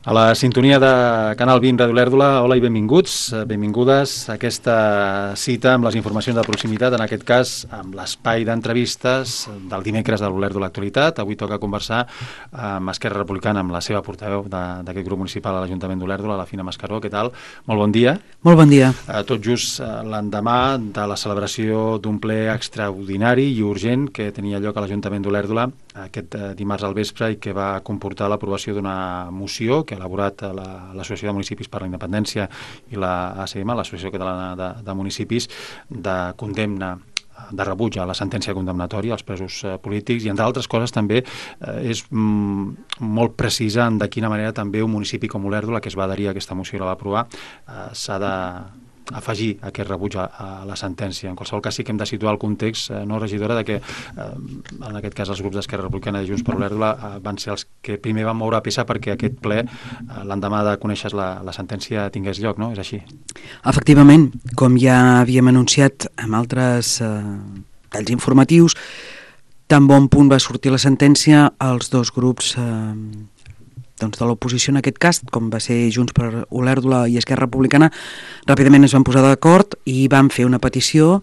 A la sintonia de Canal 20 Ràdio Olèrdola, hola i benvinguts, benvingudes a aquesta cita amb les informacions de proximitat, en aquest cas amb l'espai d'entrevistes del dimecres de l'Olèrdola Actualitat. Avui toca conversar amb Esquerra Republicana, amb la seva portaveu d'aquest grup municipal a l'Ajuntament d'Olèrdola, la Fina Mascaró. Què tal? Molt bon dia. Molt bon dia. Tot just l'endemà de la celebració d'un ple extraordinari i urgent que tenia lloc a l'Ajuntament d'Olèrdola aquest dimarts al vespre i que va comportar l'aprovació d'una moció que ha elaborat l'Associació de Municipis per la Independència i l'ACM, l'Associació Catalana de Municipis, de condemna, de rebuig a la sentència condemnatòria als presos polítics, i entre altres coses també és molt precisa en de quina manera també un municipi com Olèrdola, que es va adherir a aquesta moció i la va aprovar, s'ha d'afegir aquest rebuig a la sentència. En qualsevol cas sí que hem de situar el context, no, regidora, de que en aquest cas els grups d'Esquerra Republicana i Junts per Olèrdola van ser els que primer van moure peça perquè aquest ple, l'endemà de conèixer la sentència, tingués lloc, no? És així? Efectivament, com ja havíem anunciat amb altres talls informatius, tan bon punt va sortir la sentència, els dos grups de l'oposició en aquest cas, com va ser Junts per Olèrdola i Esquerra Republicana, ràpidament es van posar d'acord i van fer una petició,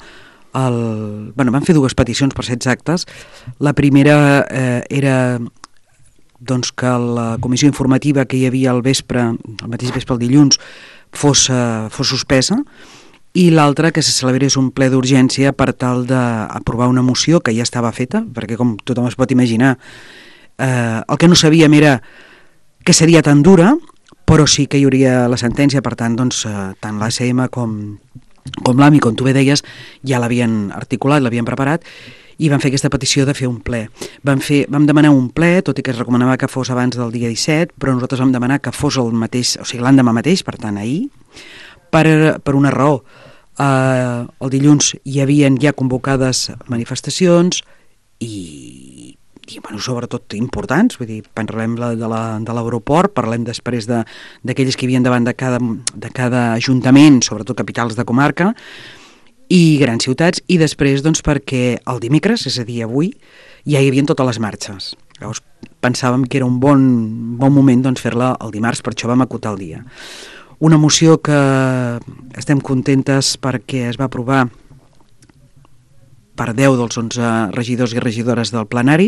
van fer dues peticions per ser exactes. La primera era que la comissió informativa que hi havia al mateix vespre el dilluns, fos suspesa, i l'altra que se celebrés un ple d'urgència per tal d'aprovar una moció que ja estava feta, perquè com tothom es pot imaginar, el que no sabíem era que seria tan dura, però sí que hi hauria la sentència. Per tant, tant l'ACM com l'AMI, com tu bé deies, ja l'havien articulat, l'havien preparat, i van fer aquesta petició de fer un ple. Vam demanar un ple, tot i que es recomanava que fos abans del dia 17, però nosaltres vam demanar que fos el mateix, o sigui, l'endemà mateix, per tant, ahir, per una raó. El dilluns hi havien ja convocades manifestacions i sobretot importants, vull dir, parlem de l'aeroport, parlem després d'aquelles que hi havia davant de cada ajuntament, sobretot capitals de comarca i grans ciutats, i després perquè el dimecres, és a dir, avui, ja hi havia totes les marxes. Llavors pensàvem que era un bon moment fer-la el dimarts, per això vam acotar el dia. Una moció que estem contentes perquè es va aprovar per 10 dels 11 regidors i regidores del plenari,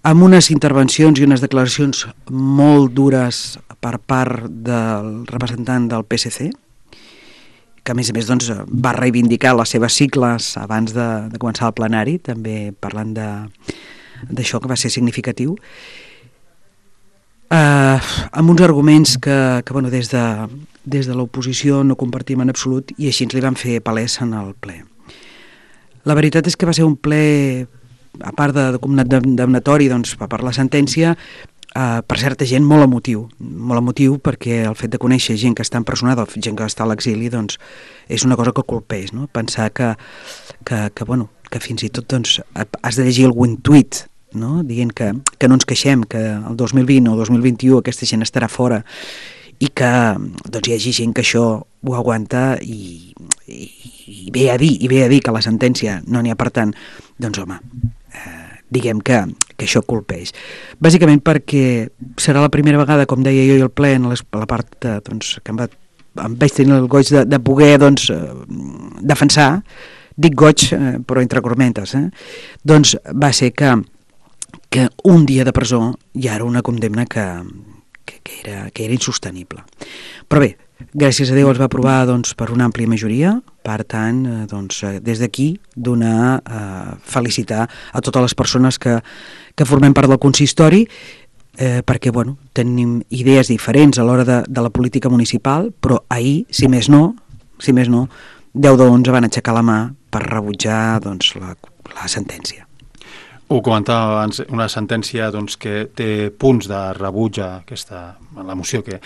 amb unes intervencions i unes declaracions molt dures per part del representant del PSC, que a més va reivindicar les seves sigles abans de començar el plenari, també parlant d'això, que va ser significatiu, amb uns arguments que des de l'oposició no compartim en absolut, i així ens li van fer palès en el ple. La veritat és que va ser un ple, a part de condemnatori per la sentència, per certa gent molt emotiu, perquè el fet de conèixer gent que està empresonada, gent que està a l'exili, és una cosa que colpeix, no? Pensar que fins i tot has de llegir algun tuit, no? Dient que no ens queixem, que el 2020 o 2021 aquesta gent estarà fora, i que hi hagi gent que això ho aguanta i ve a dir que la sentència no n'hi ha, per tant, diguem que això colpeix. Bàsicament perquè serà la primera vegada, com deia jo, el ple, en la part que em vaig tenir el goig de poder defensar, dic goig, però entre cormentes, va ser que un dia de presó ja era una condemna que era insostenible. Però bé, gràcies a Déu es va aprovar per una àmplia majoria. Per tant, des d'aquí felicitar a totes les persones que formem part del consistori, perquè tenim idees diferents a l'hora de la política municipal, però ahir, si més no, 10 de 11 van aixecar la mà per rebutjar la sentència. Ho comentava abans, una sentència que té punts de rebuig a la moció que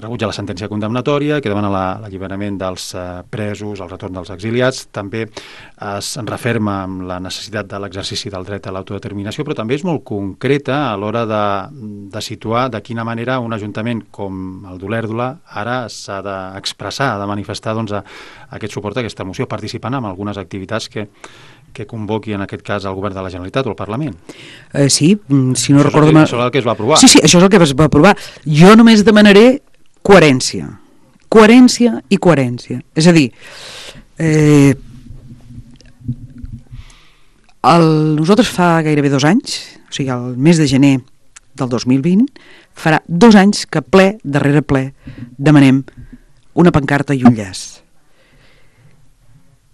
rebutja la sentència condemnatòria, que demana l'alliberament dels presos, el retorn dels exiliats. També es referma amb la necessitat de l'exercici del dret a l'autodeterminació, però també és molt concreta a l'hora de situar de quina manera un ajuntament com el d'Olèrdola ara s'ha d'expressar, ha de manifestar aquest suport a aquesta moció, participant en algunes activitats que que convoqui en aquest cas el govern de la Generalitat o el Parlament. Sí, si no recordo... Això és el que es va aprovar. Sí, això és el que es va aprovar. Jo només demanaré coherència. Coherència i coherència. És a dir, nosaltres fa gairebé 2 anys, o sigui, el mes de gener del 2020, farà 2 anys que ple darrere ple demanem una pancarta i un llaç.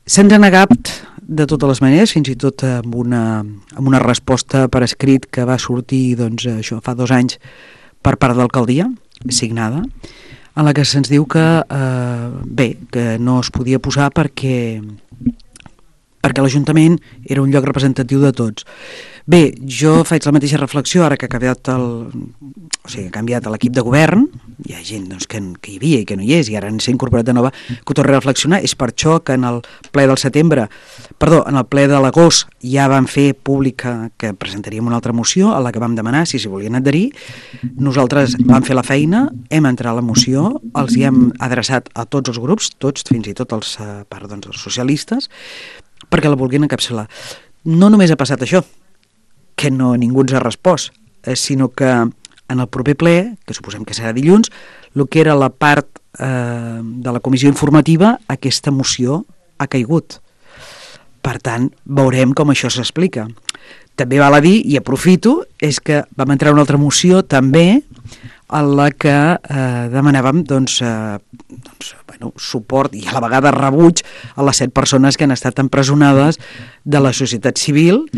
Se'ns ha negat de totes les maneres, fins i tot amb una resposta per escrit que va sortir això fa 2 anys per part de l'alcaldia, signada, en la que se'ns diu que que no es podia posar perquè l'Ajuntament era un lloc representatiu de tots. Bé, jo faig la mateixa reflexió ara que ha canviat l'equip de govern, hi ha gent que hi havia i que no hi és i ara s'ha incorporat de nova, que ho torna a reflexionar. És per això que en el ple de l'agost ja vam fer pública que presentaríem una altra moció a la que vam demanar si s'hi volien adherir. Nosaltres vam fer la feina, hem entrat a la moció, els hi hem adreçat a tots els grups, tots, fins i tot els socialistes, perquè la vulguin encapçalar. No només ha passat això, que ningú ens ha respost, sinó que en el proper ple, que suposem que serà dilluns, el que era la part de la comissió informativa, aquesta moció ha caigut. Per tant, veurem com això s'explica. També val a dir, i aprofito, és que vam entrar una altra moció també en la que demanàvem suport i a la vegada rebuig a les 7 persones que han estat empresonades de la societat civil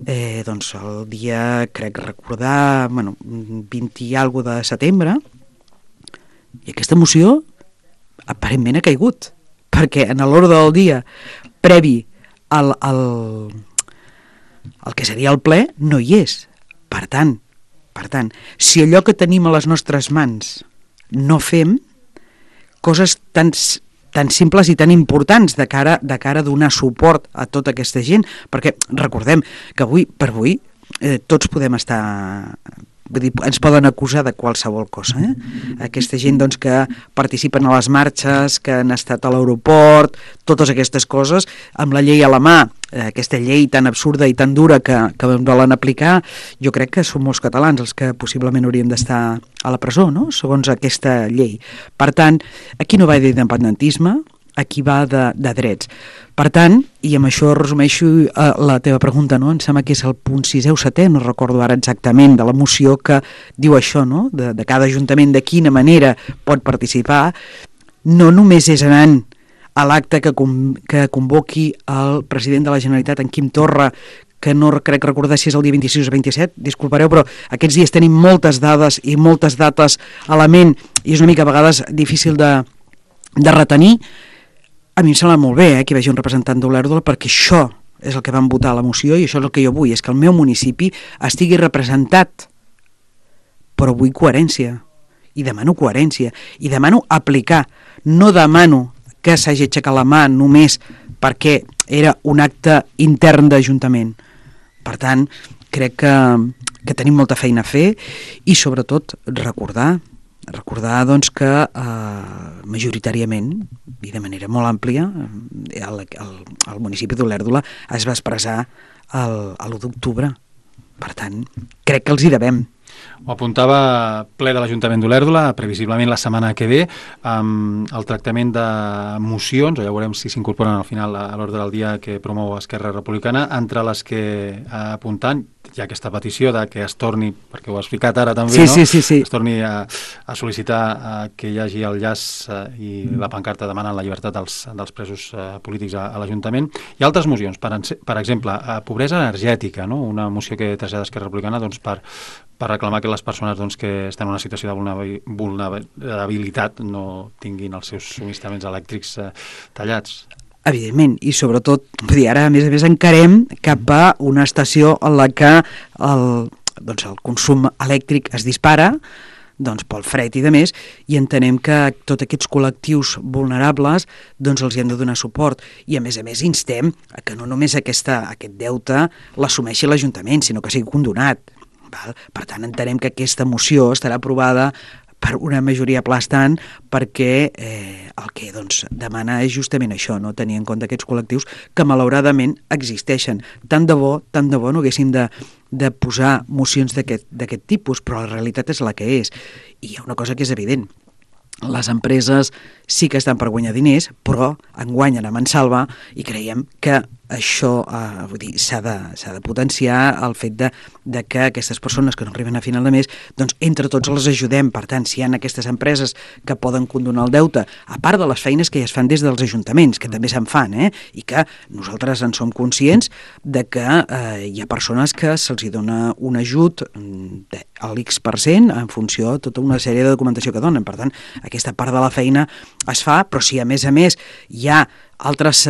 el dia, crec recordar, 20 i alguna de setembre, i aquesta moció aparentment ha caigut, perquè en l'ordre del dia previ al que seria el ple no hi és. Per tant, si allò que tenim a les nostres mans no fem, coses tan simples i tan importants de cara a donar suport a tota aquesta gent, perquè recordem que avui tots podem estar... Vull dir, ens poden acusar de qualsevol cosa. Aquesta gent que participen a les marxes, que han estat a l'aeroport, totes aquestes coses, amb la llei a la mà, aquesta llei tan absurda i tan dura que volen aplicar, jo crec que són molts catalans els que possiblement haurien d'estar a la presó, no?, segons aquesta llei. Per tant, aquí no va d'independentisme, aquí va de drets. Per tant, i amb això resumeixo la teva pregunta, no? Em sembla que és el punt 6è o 7è, no recordo ara exactament, de la moció que diu això, no?, de cada ajuntament de quina manera pot participar. No només és anant a l'acte que convoqui el president de la Generalitat, en Quim Torra, que no crec recordar si és el dia 26 o 27, disculpareu, però aquests dies tenim moltes dades i moltes dates a la ment i és una mica a vegades difícil de retenir. A mi em sembla molt bé que hi vagi un representant d'Olèrdola, perquè això és el que vam votar a la moció i això és el que jo vull, és que el meu municipi estigui representat. Però vull coherència, i demano aplicar, no demano que s'hagi aixecat la mà només perquè era un acte intern d'Ajuntament. Per tant, crec que tenim molta feina a fer i sobretot recordar que majoritàriament i de manera molt àmplia el municipi d'Olèrdola es va expressar l'1 d'octubre. Per tant, crec que els hi devem. Ho apuntava ple de l'Ajuntament d'Olèrdola, previsiblement la setmana que ve, amb el tractament de mocions, ja veurem si s'incorporen al final a l'ordre del dia que promou Esquerra Republicana, entre les que apuntant hi ha aquesta petició de que es torni, perquè ho has explicat ara també, sí. Es torni a sol·licitar que hi hagi el llaç i la pancarta demanant la llibertat dels presos polítics a l'Ajuntament. Hi ha altres mocions, per exemple, pobresa energètica, no? Una moció que trasllada Esquerra Republicana per reclamar que les persones que estan en una situació de vulnerabilitat no tinguin els seus subministraments elèctrics tallats. Evidentment, i sobretot, ara a més encarem cap a una estació en la que el consum elèctric es dispara, pel fred i de més, i entenem que tots aquests col·lectius vulnerables els hi hem de donar suport. I a més instem a que no només aquest deute l'assumeixi l'Ajuntament, sinó que sigui condonat. Per tant, entenem que aquesta moció estarà aprovada per una majoria aplastant, perquè el que doncs, demana és justament això, no? Tenir en compte aquests col·lectius que malauradament existeixen. Tant de bo no haguéssim de posar mocions d'aquest tipus, però la realitat és la que és. I hi ha una cosa que és evident: les empreses sí que estan per guanyar diners, però en guanyen a mansalva, i creiem que això s'ha de potenciar el fet de que aquestes persones que no arriben a final de mes, doncs entre tots les ajudem. Per tant, si hi ha aquestes empreses que poden condonar el deute, a part de les feines que ja es fan des dels ajuntaments, que també se'n fan, i que nosaltres en som conscients de que hi ha persones que se'ls dona un ajut a l'X% en funció de tota una sèrie de documentació que donen. Per tant, aquesta part de la feina es fa, però si a més hi ha altres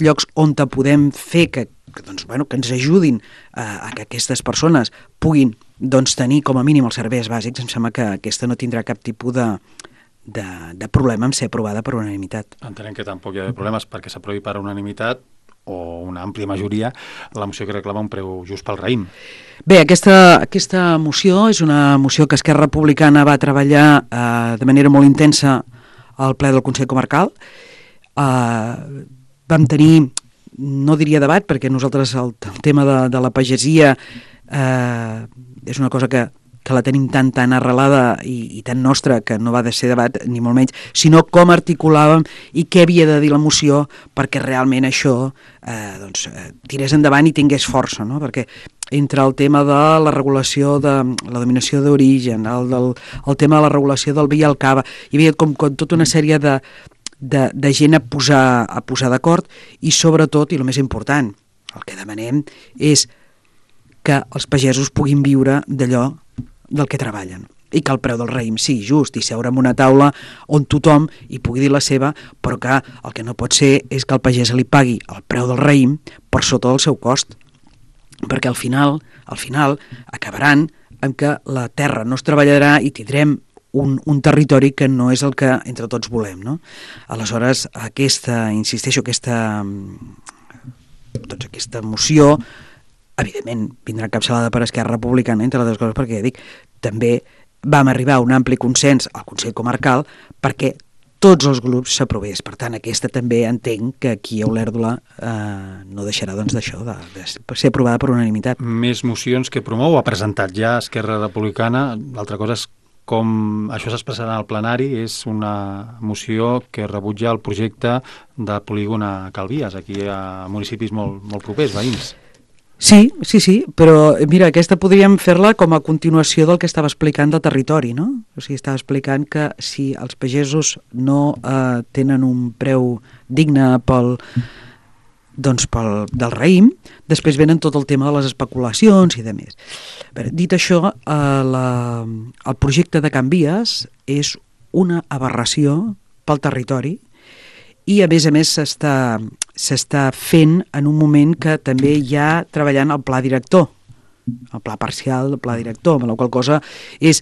llocs on podem fer que ens ajudin a que aquestes persones puguin tenir com a mínim els serveis bàsics, em sembla que aquesta no tindrà cap tipus de problema en ser aprovada per unanimitat. Entenem que tampoc hi ha problemes perquè s'aprovi per unanimitat o una àmplia majoria la moció que reclama un preu just pel raïm. Bé, aquesta moció és una moció que Esquerra Republicana va treballar de manera molt intensa al ple del Consell Comarcal. Vam tenir, no diria debat, perquè nosaltres el tema de la pagesia és una cosa que la tenim tan arrelada i tan nostra que no va de ser debat, ni molt menys, sinó com articulàvem i què havia de dir la moció perquè realment això tirés endavant i tingués força, no? Perquè entre el tema de la regulació de la dominació d'origen, el tema de la regulació del vi i el cava, hi havia com tota una sèrie de gent a posar d'acord, i sobretot, i el més important, el que demanem és que els pagesos puguin viure d'allò del que treballen, i que el preu del raïm sigui just, i seure en una taula on tothom hi pugui dir la seva, però que el que no pot ser és que el pagès li pagui el preu del raïm per sota del seu cost, perquè al final acabaran amb que la terra no es treballarà i tindrem un territori que no és el que entre tots volem, no? Aleshores, aquesta moció, evidentment, vindrà encapçalada per Esquerra Republicana, entre les dues coses, perquè ja dic, també vam arribar a un ampli consens al Consell Comarcal perquè tots els grups s'aprovés. Per tant, aquesta també entenc que aquí a Olèrdola no deixarà d'això, de ser aprovada per unanimitat. Més mocions que promou, ha presentat ja Esquerra Republicana. L'altra cosa és com això s'expressarà al plenari. És una moció que rebutja el projecte de polígon a Calvies, aquí a municipis molt propers, veïns. Sí, però mira, aquesta podríem fer-la com a continuació del que estava explicant del territori, no? O sigui, estava explicant que si els pagesos no tenen un preu digne del raïm, després venen tot el tema de les especulacions i de més. Dit això, el projecte de Can Vies és una aberració pel territori, i a més s'està fent en un moment que també hi ha treballant el pla director, el pla parcial del pla director, amb la qual cosa és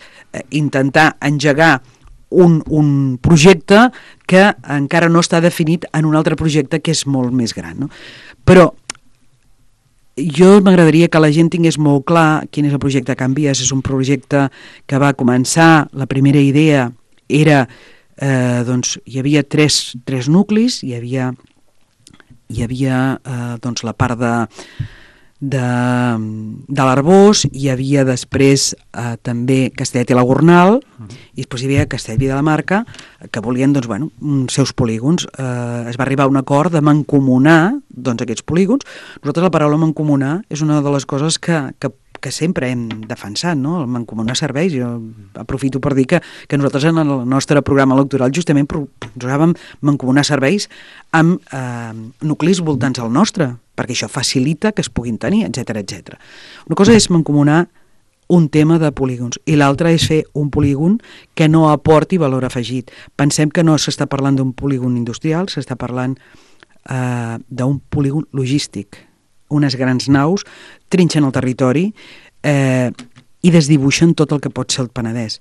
intentar engegar un projecte que encara no està definit en un altre projecte que és molt més gran, no? Però jo m'agradaria que la gent tingués molt clar quin és el projecte Can Vies. És un projecte que va començar, la primera idea era hi havia tres nuclis, hi havia la part de l'Arboç, hi havia després també Castellet i la Gornal, i després hi havia Castellví de la Marca, que volien seus polígons. Es va arribar a un acord de mancomunar aquests polígons. Nosaltres la paraula mancomunar és una de les coses que sempre hem defensat, no? El mancomunar serveis. Jo aprofito per dir que nosaltres en el nostre programa electoral justament proposàvem mancomunar serveis amb nuclis voltants al nostre, perquè això facilita que es puguin tenir, etc. Una cosa és mancomunar un tema de polígons i l'altra és fer un polígon que no aporti valor afegit. Pensem que no s'està parlant d'un polígon industrial, s'està parlant d'un polígon logístic. Unes grans naus trinxen el territori i desdibuixen tot el que pot ser el Penedès.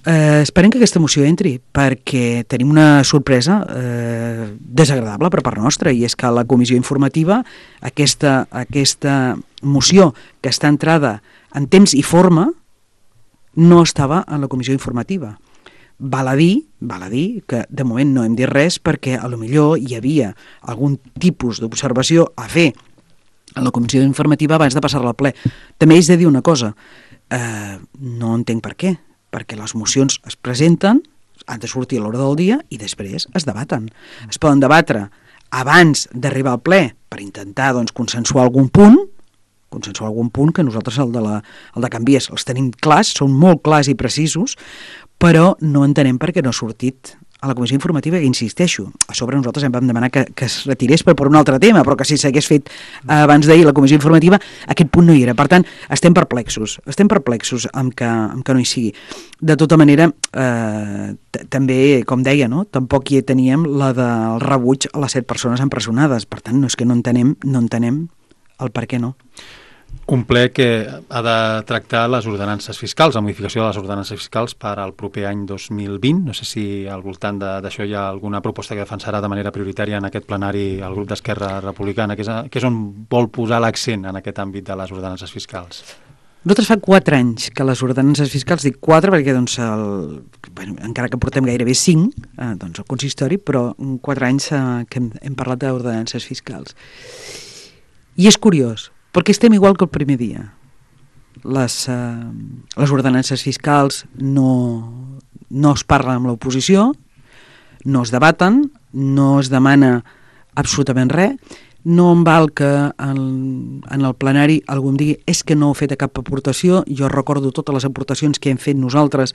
Esperem que aquesta moció entri, perquè tenim una sorpresa desagradable per part nostra, i és que la comissió informativa, aquesta moció que està entrada en temps i forma, no estava en la comissió informativa. Val a dir que de moment no hem dit res perquè a lo millor hi havia algun tipus d'observació a fer a la comissió informativa abans de passar-la al ple. També és de dir una cosa, no entenc per què, perquè les mocions es presenten, han de sortir a l'hora del dia i després es debaten. Es poden debatre abans d'arribar al ple per intentar consensuar algun punt que nosaltres el de canvies els tenim clars, són molt clars i precisos, però no entenem per què no ha sortit a la comissió informativa, que insisteixo, a sobre nosaltres vam demanar que es retirés per un altre tema, però que si s'hagués fet abans d'ahir la comissió informativa, aquest punt no hi era. Per tant, estem perplexos amb que no hi sigui. De tota manera, també, com deia, no? Tampoc hi teníem la del rebuig a les 7 persones empresonades. Per tant, no és que no entenem el per què no. Un ple que ha de tractar les ordenances fiscals, la modificació de les ordenances fiscals per al proper any 2020. No sé si al voltant d'això hi ha alguna proposta que defensarà de manera prioritària en aquest plenari el grup d'Esquerra Republicana, que és on vol posar l'accent en aquest àmbit de les ordenances fiscals. Nosaltres fa 4 anys que les ordenances fiscals, dic 4 perquè encara que portem gairebé 5, el consistori, però 4 anys que hem parlat d'ordenances fiscals. I és curiós, perquè estem igual que el primer dia. Les ordenances fiscals no es parlen amb l'oposició, no es debaten, no es demana absolutament res, no em val que en el plenari algú em digui és que no heu fet cap aportació, jo recordo totes les aportacions que hem fet nosaltres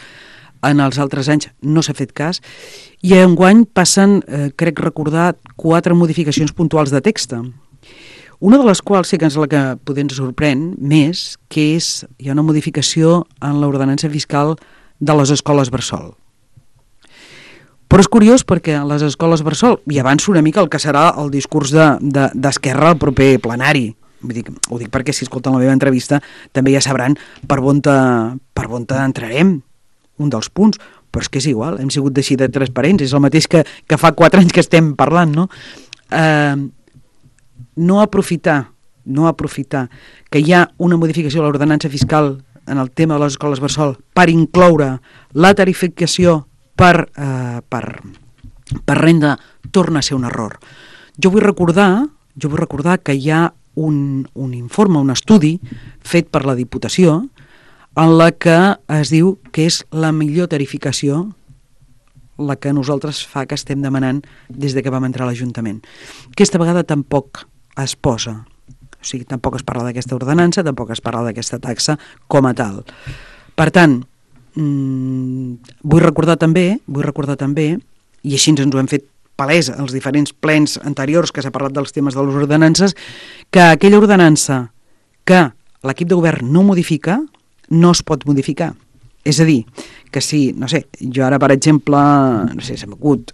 en els altres anys, no s'ha fet cas, i enguany passen, crec recordar, 4 modificacions puntuals de text. Una de les quals sí que és la que potser ens sorprèn més, que hi ha una modificació en l'ordenança fiscal de les escoles bressol. Però és curiós perquè a les escoles bressol, i avanço una mica el que serà el discurs d'Esquerra al proper plenari, ho dic perquè si escolten la meva entrevista també ja sabran per on entrarem, un dels punts, però és que és igual, hem sigut així de transparents, és el mateix que fa 4 anys que estem parlant, no? No aprofitar que hi ha una modificació de l'ordenança fiscal en el tema de les escoles bressol per incloure la tarificació per renda torna a ser un error. Jo vull recordar que hi ha un informe, un estudi fet per la Diputació en la que es diu que és la millor tarificació la que nosaltres fa que estem demanant des de que vam entrar a l'Ajuntament. Aquesta vegada tampoc es posa, o sigui, tampoc es parla d'aquesta ordenança, tampoc es parla d'aquesta taxa com a tal. Per tant, vull recordar també, i així ens ho hem fet palès als diferents plens anteriors que s'ha parlat dels temes de les ordenances, que aquella ordenança que l'equip de govern no modifica, no es pot modificar. És a dir, que si, no sé, jo ara, per exemple, no sé, se m'acut,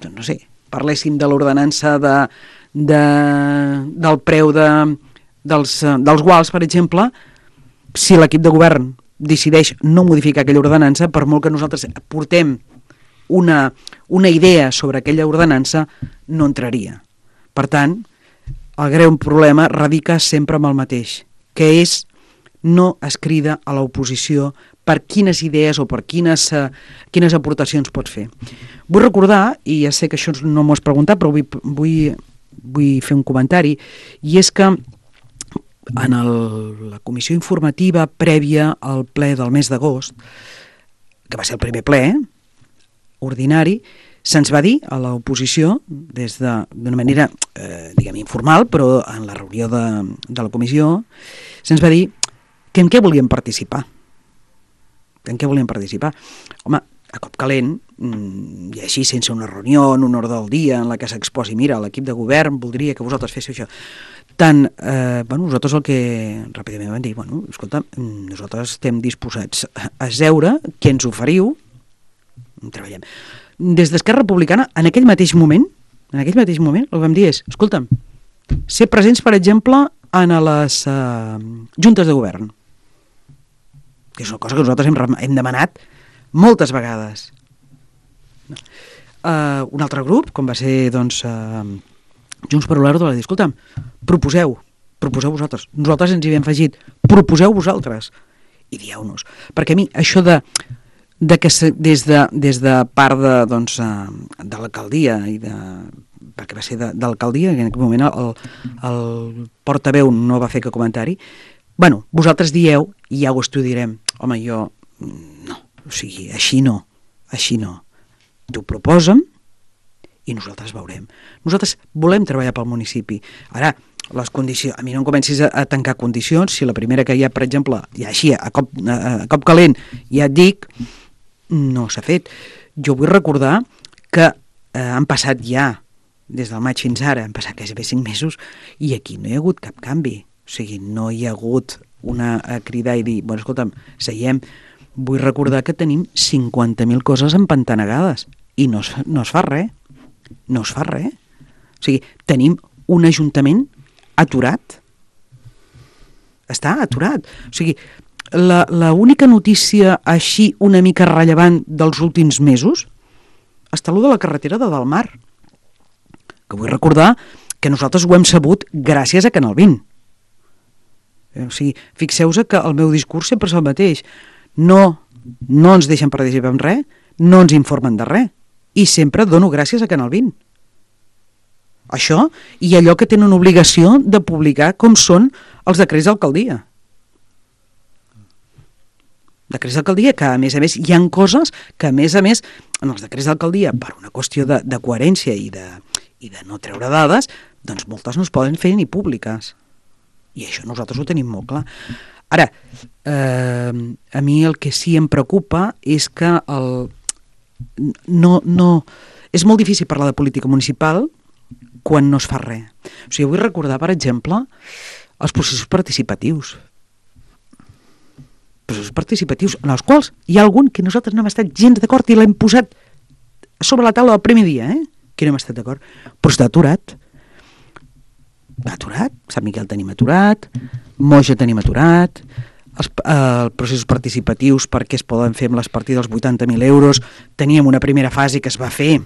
no sé, parléssim de l'ordenança del preu dels guals, per exemple, si l'equip de govern decideix no modificar aquella ordenança, per molt que nosaltres portem una idea sobre aquella ordenança, no entraria. Per tant, el greu problema radica sempre amb el mateix, que és no es crida a l'oposició per quines idees o per quines aportacions pots fer. Vull recordar, i ja sé que això no m'ho has preguntat, però vull fer un comentari, i és que en la comissió informativa prèvia al ple del mes d'agost, que va ser el primer ple ordinari, se'ns va dir a l'oposició, d'una manera, diguem, informal, però en la reunió de la comissió, se'ns va dir que en què volíem participar. Home, a cop calent, i així sense una reunió, en un ordre del dia, en la que s'exposi, mira, l'equip de govern voldria que vosaltres féssiu això. Nosaltres el que ràpidament vam dir, escolta, nosaltres estem disposats a seure, què ens oferiu, treballem. Des d'Esquerra Republicana, en aquell mateix moment, el que vam dir és, escolta'm, ser presents, per exemple, en les juntes de govern, que és una cosa que nosaltres hem demanat moltes vegades. Un altre grup, com va ser Junts per l'Erdo, va dir, escolta'm, proposeu vosaltres. Nosaltres ens hi havíem afegit, proposeu vosaltres. i dieu-nos. Perquè a mi això de que des de part de l'alcaldia perquè va ser de l'alcaldia, en aquell moment el portaveu no va fer cap comentari, bueno, vosaltres dieu i ja ho estudiarem. Home, jo no, o sigui, així no. T'ho proposa'm i nosaltres veurem. Nosaltres volem treballar pel municipi. Ara, les condicions, a mi no em comencis a tancar condicions, si la primera que hi ha, per exemple, ja així, a cop calent, ja et dic, no s'ha fet. Jo vull recordar que han passat ja, des del maig fins ara, han passat gairebé 5 mesos, i aquí no hi ha hagut cap canvi. O sigui, no hi ha hagut una cridar i dir, bueno, escolta'm, seiem, vull recordar que tenim 50.000 coses empantanegades i no es fa res. No es fa res. O sigui, tenim un ajuntament aturat. Està aturat. O sigui, l'única notícia així una mica rellevant dels últims mesos està allò de la carretera de Dalmar, que vull recordar que nosaltres ho hem sabut gràcies a Canal 20. O sigui, fixeu-vos que el meu discurs sempre és el mateix. No ens deixen participar en res, no ens informen de res, i sempre dono gràcies a Canal 20. Això i allò que tenen obligació de publicar com són els decrets d'alcaldia. Decrets d'alcaldia que, a més, hi ha coses que, a més, en els decrets d'alcaldia, per una qüestió de coherència i de no treure dades, doncs moltes no es poden fer ni públiques. I això nosaltres ho tenim molt clar. Ara, a mi el que sí em preocupa és que és molt difícil parlar de política municipal quan no es fa res. O sigui, vull recordar, per exemple, els processos participatius. Processos participatius en els quals hi ha algun que nosaltres no hem estat gens d'acord i l'hem posat sobre la taula el primer dia, que no hem estat d'acord, però està aturat. Sant Miquel tenim aturat, Moja tenim aturat, els processos participatius perquè es poden fer amb les partides dels 80.000 euros, teníem una primera fase que es va fer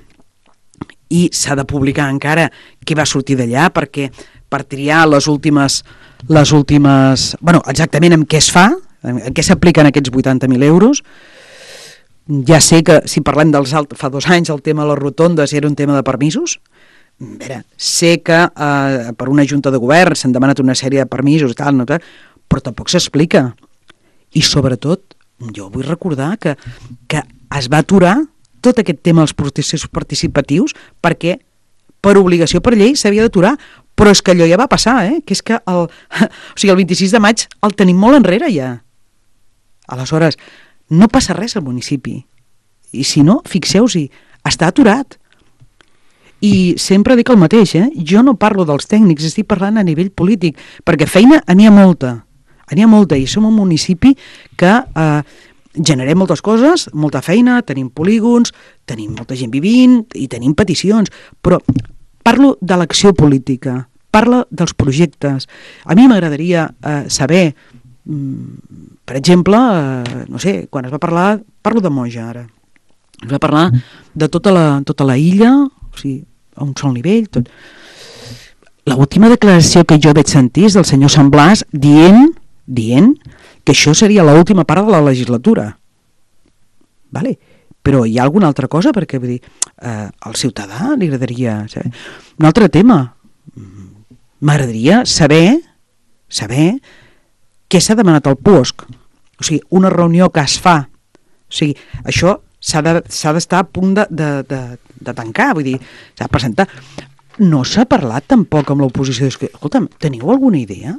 i s'ha de publicar encara què va sortir d'allà, perquè per triar les últimes bueno, exactament en què es fa, en què s'apliquen aquests 80.000 euros. Ja sé que si parlem fa 2 anys el tema de les rotondes era un tema de permisos. A veure, sé que per una junta de govern s'han demanat una sèrie de permisos i tal, però tampoc s'explica. I sobretot, jo vull recordar que es va aturar tot aquest tema dels processos participatius perquè per obligació, per llei, s'havia d'aturar. Però és que allò ja va passar, que és que el 26 de maig el tenim molt enrere ja. Aleshores, no passa res al municipi. I si no, fixeu-s'hi, està aturat. I sempre dic el mateix, jo no parlo dels tècnics, estic parlant a nivell polític, perquè feina n'hi ha molta, i som un municipi que generem moltes coses, molta feina, tenim polígons, tenim molta gent vivint i tenim peticions, però parlo de l'acció política, parlo dels projectes. A mi m'agradaria saber, per exemple, no sé, quan es va parlar, parlo de Moja ara, es va parlar de tota la illa, o sigui, a un sol nivell, tot. L'última declaració que jo vaig sentir és del senyor Sant Blas dient que això seria l'última part de la legislatura. Vale? Però hi ha alguna altra cosa? Perquè vull dir, al ciutadà li agradaria saber. Un altre tema, m'agradaria saber què s'ha demanat al PUOSC. O sigui, una reunió que es fa. O sigui, això s'ha d'estar a punt de tancar, vull dir, s'ha de presentar. No s'ha parlat tampoc amb l'oposició. Escolta'm, teniu alguna idea?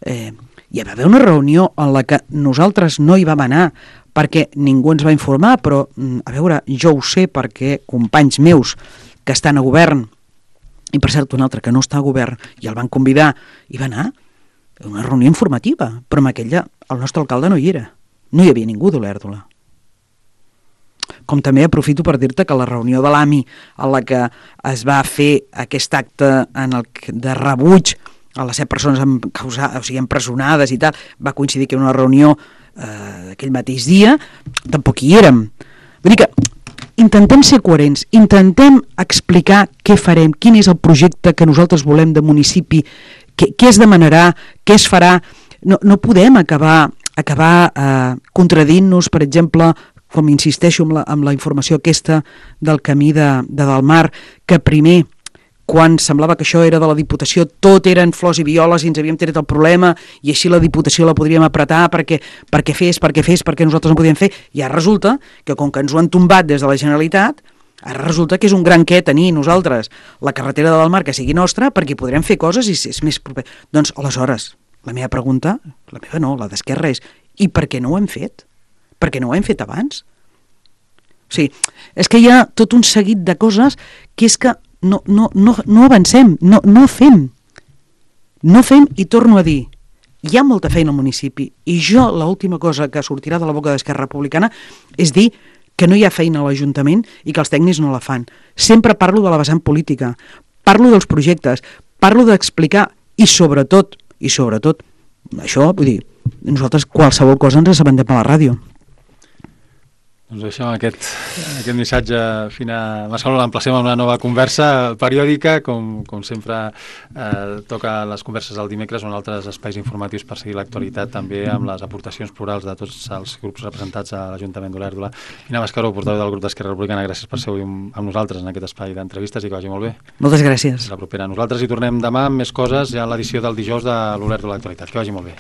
Hi va haver una reunió en la que nosaltres no hi vam anar perquè ningú ens va informar, però, a veure, jo ho sé perquè companys meus que estan a govern, i per cert un altre que no està a govern, i el van convidar, i va anar a una reunió informativa, però amb aquella el nostre alcalde no hi era. No hi havia ningú d'Olèrdola. Com també aprofito per dir-te que la reunió de l'AMI en la que es va fer aquest acte de rebuig a les 7 persones empresonades i tal, va coincidir que era una reunió d'aquell mateix dia, tampoc hi érem. Vull dir que intentem ser coherents, intentem explicar què farem, quin és el projecte que nosaltres volem de municipi, què es demanarà, què es farà. No podem acabar acabar contradint-nos, per exemple, com insisteixo amb la informació aquesta del camí de Dalmar, que primer, quan semblava que això era de la Diputació, tot eren flors i violes i ens havíem tret el problema i així la Diputació la podríem apretar perquè nosaltres no podíem fer, i ara resulta que com que ens ho han tombat des de la Generalitat, ara resulta que és un gran què tenir nosaltres la carretera de Dalmar que sigui nostra perquè podrem fer coses i és més proper. Doncs aleshores, la meva pregunta, la meva no, la d'Esquerra és, i per què no ho hem fet? Per què no ho hem fet abans? O sigui, és que hi ha tot un seguit de coses que és que no avancem, no fem. No fem, i torno a dir, hi ha molta feina al municipi, i jo l'última cosa que sortirà de la boca d'Esquerra Republicana és dir que no hi ha feina a l'Ajuntament i que els tècnics no la fan. Sempre parlo de la vessant política, parlo dels projectes, parlo d'explicar, i sobretot, això, vull dir, nosaltres qualsevol cosa ens assabentem a la ràdio. Doncs deixem aquest missatge Mascaró, l'emplacem a una nova conversa periòdica, com sempre toca les converses del dimecres o en altres espais informatius per seguir l'actualitat, també amb les aportacions plurals de tots els grups representats a l'Ajuntament d'Olèrdola. Ina Mascaró, portaveu del grup d'Esquerra Republicana, gràcies per ser avui amb nosaltres en aquest espai d'entrevistes i que vagi molt bé. Moltes gràcies. La propera. Nosaltres hi tornem demà amb més coses, ja en l'edició del dijous de l'Olèrdola Actualitat. Que vagi molt bé.